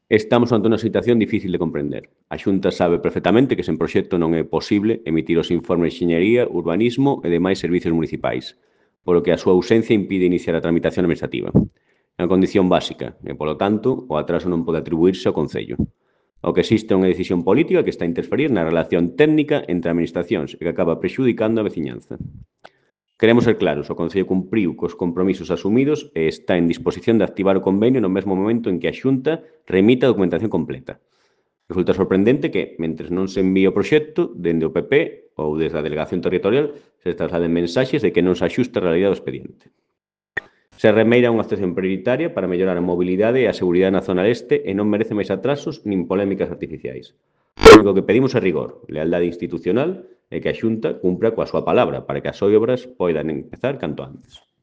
Estamos ante unha situación difícil de comprender. A Xunta sabe perfectamente que sen proxecto non é posible emitir os informes de enxeñería, urbanismo e demais servizos municipais, polo que a súa ausencia impide iniciar a tramitación administrativa. É unha condición básica e, polo tanto, o atraso non pode atribuirse ao Concello. O que existe é unha decisión política que está a interferir na relación técnica entre administracións e que acaba prexudicando a veciñanza. Queremos ser claros, o Concello cumpriu cos compromisos asumidos e está en disposición de activar o convenio no mesmo momento en que a Xunta remita a documentación completa. Resulta sorprendente que, mentres non se envíe o proxecto, dende o PP ou desde a Delegación Territorial se trasladen mensaxes de que non se axusta a realidade do expediente. Serremeira é unha actuación prioritaria para mellorar a mobilidade e a seguridade na zona este e non merece máis atrasos nin polémicas artificiais. O único que pedimos é rigor, lealdade institucional e que a Xunta cumpra coa súa palabra para que as obras poidan empezar canto antes.